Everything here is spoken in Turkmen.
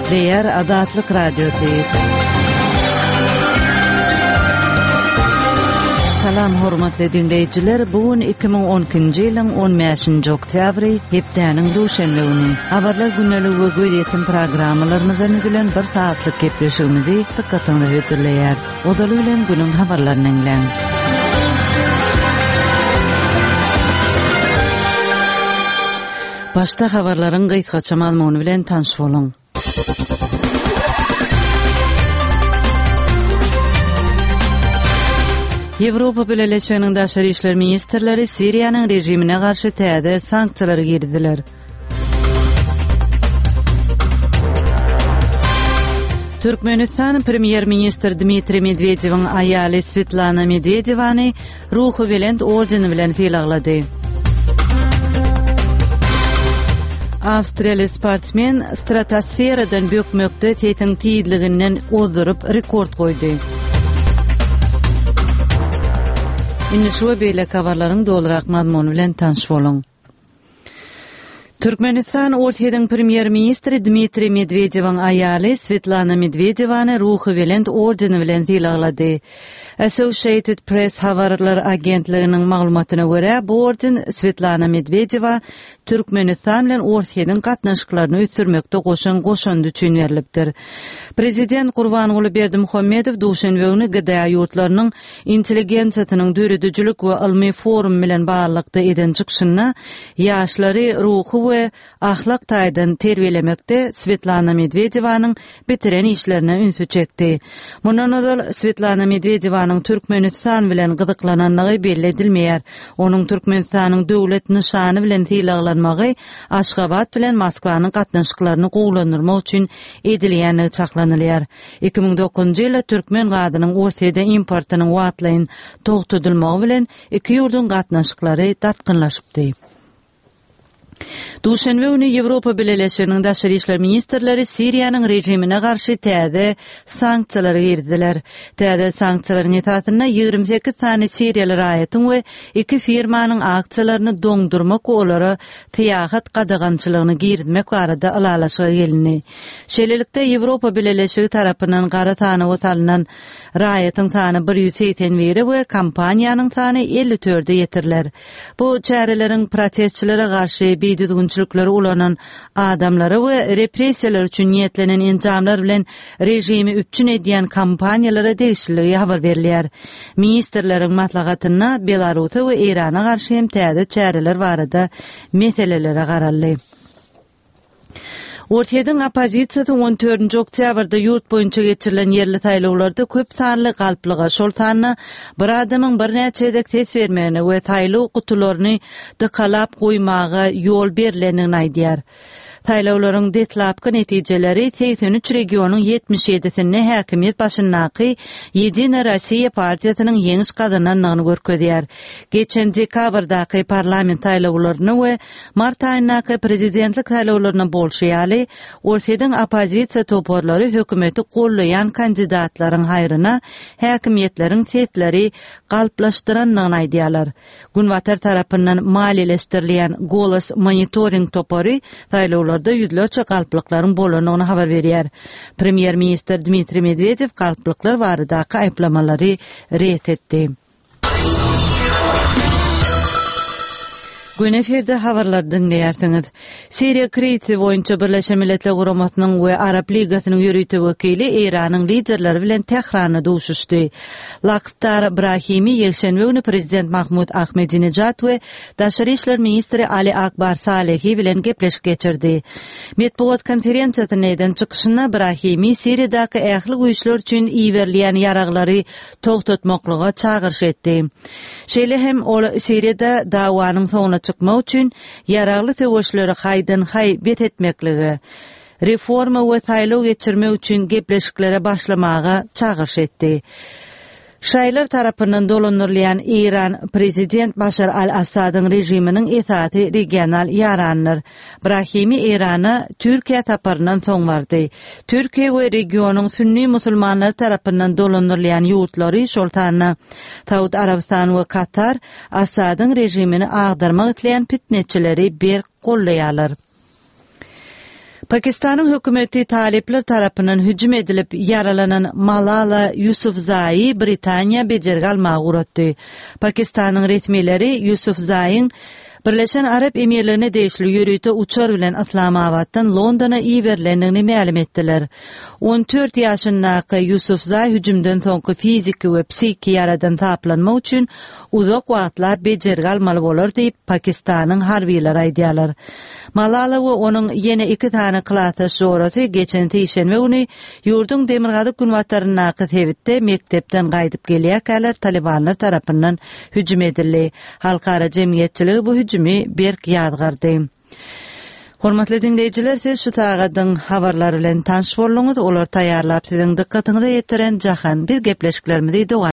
Gepleýär Azatlyk Radiosy. Salam hormatly diňleýjiler, bu gün 2012-nji ýylyň 15-nji oktýabry, hepdäniň duşenbe güni. Habarlar gündeligi we gözýetim programmalarymyzdan düzülen bir sagatlyk gepleşigimizi dykgatyňyza hödürleýäris. Ozaly bilen günüň habarlaryny diňläň. Başda habarlaryň gysgaça mazmuny bilen tanyş boluň. Ýewropa Bileleşiginiň daşary işler ministrleri Siriýanyň režimine garşy täze sanksiýalary girizdiler. Türkmenistan premýer-ministr Dmitriý Medwedewiň aýaly Swetlana Medwedewany Ruhubelent ordeni bilen sylaglady. Awstriýaly sportsmen stratosferadan bökmekde sesiň tizliginden ozduryp rekord goýdy. Indi şu we beýleki habarlaryň dolurak mazmuny bilen tanyş boluň. Türkmenistan Orsýetiň premýer-ministri Dmitriý Medwedewiň aýaly Swetlana Medwedewany Ruhubelent ordeni bilen sylaglady. Associated Press habarlar agentliginiň maglumatyna görä, bu orden Swetlana Medwedewa Türkmenistan bilen Orsýetiň gatnaşyklaryny ösdürmekde goşan goşandy üçin berlipdir. Prezident Gurbanguly Berdimuhamedow duşenbe güni GDA ýurtlarynyň intelligensiýasynyň döredijilik we ylmy forumy bilen baglylykda eden çykyşynda ýaşlary ruhy we ahlak taýdan terbiýelemekde Swetlana Medwedewanyň bitiren işlerine ünsi çekdi. Mundan ozal Swetlana Medwedewanyň Türkmenistan bilen gyzyklanandygy belli edilmeýär. Onuň Türkmenistanyň döwlet nyşany bilen sylaglanmagy Aşgabat bilen Moskwanyň gatnaşyklaryny gowulandyrmak üçin edilýändigi çaklanylýar. 2009-njy ýylda türkmen gazynyň Orsýede importynyň wagtlaýyn togtadylmagy bilen iki ýurduň gatnaşyklary dartgynlaşypdy. Duşenbe güni Ýewropa Bileleşiginiň daşary işler ministrleri Siriýanyň režimine garşy täze sanksiýalary girizdiler. Täze sanksiýalaryň esasynda 28 sany siriýaly raýatyň we iki firmanyň aksiýalaryny doňdurmak we olara syýahat gadagançylygyny girizmek barada ylalaşyga gelindi. Şeýlelikde, Ýewropa Bileleşigi tarapyndan gara sanawa salnan raýatyň sany 181-e we kompaniýanyň sany 54-e ýetiriler. Bu çäreleriň protestçilere garşy bidüzgünçilikleri ulanan adamlara we repressiýalar üçin niýetlenen enjamlar bilen režimi üpjün edýän kompaniýalara degişliligi habar berilýär. Ministrleriň maslahatynda Belarusa we Eýrana garşy hem täze çäreler barada meselelere garaldy. Orsýetiň oppozisiýasy on dördünji oktýabrda ýurt boýunça geçirilen ýerli saýlawlarda köp sanly galplyga, şol sanda bir adamyň birnäçe gezek ses bermegine we saýlaw gutularyny dykalap goýmaga ýol berlendigini aýdýar. Saýlawlaryň deslapky netijeleri 83 regionyň 77-sinde häkimiýet başyndaky Ýedina Rossiýa partiýasynyň ýeňiş gazanandygyny görkezýär. Geçen dekabrdaky parlament saýlawlarynda we Mart aýyndaky prezidentlik saýlawlarynda bolşy ýaly, Orsýetiň oppozisiýa toparlary hökümeti gollaýan kandidatlaryň haýryna häkimiýetleriň sesleri galplaşdyrandygyny aýdýarlar. Günbatar tarapyndan maliýeleşdirilýän Golos monitoring topary saýlawlarda ýüzlerçe galplyklaryň bolandygyny habar berýär. Premýer-ministr Dmitriý Medwedew galplyklar baradaky aýyplamalary ret etdi. Gün efirde habarlary diňleýärsiňiz. Siriýa krizisi boýunça Birleşen Milletler Guramasynyň we Arap Ligasynyň ýörite wekili Eýranyň liderleri bilen Tähranda duşuşdy. Lakhdar Brahimi ýekşenbe güni prezident Mahmud Ahmedinejad we daşary işler ministri Ali Akbar Salehi bilen gepleşik geçirdi. Metbugat konferensiýasynda eden çykyşynda Brahimi Siriýadaky ähli güýçler üçin iberilýän ýaraglary togtatmaklyga çagyryş etdi. Şeýle hem ol Siriýada dawanyň soňuna çykmak üçin ýaragly söweşleri haýdan-haý bes etmeklige, reforma we saýlaw geçirmek üçin gepleşiklere başlamaga çagyryş etdi. Şaýylar tarapyndan dolandyrylýan Eýran prezident Başar al-Assadyň režiminiň esasy regional ýaranydyr. Brahimi Eýrana Türkiýä saparyndan soň bardy. Türkiýe we regionyň sünni musulmanlary tarapyndan dolandyrylýan ýurtlary, şol sanda Saud Arabystany we Katar Assadyň režimini agdarmak isleýän pitneçileri berk goldaýarlar. Pakistanyň hökümeti talyplar tarapyndan hüjüm edilip ýaralanan Malala Ýusufzaýy Britaniýa bejergi almaga ugratdy. Pakistanyň resmileri Ýusufzaýyň Birleşen Arap Emirligine degişli ýörite uçar bilen Yslamabatdan Londona iberilendigini mälim etdiler. 14 ýaşyndaky Ýusufzaý hüjümden soňky fiziki we psihiki ýaradan saplanmak üçin uzak wagtlap bejergi almaly bolar diýip, Pakistanyň harbylary aýdýarlar. Malala we onuň ýene iki sany klasdaş jorasy geçen sişenbe güni ýurduň demirgazyk-günbataryndaky sebitde mekdepden gaýdyp gelýärkäler talybanlar tarapyndan hüjüm edildi. Halkara jemgyýetçiligi bu hüjümi berk ýazgardy. Hormatly diňleýjiler, siz şu sagadyň habarlary bilen tanyş bolduňyz. Olary taýýarlap siziň dykgatyňyza ýetiren Jahan. Biz gepleşiklerimizi dowam.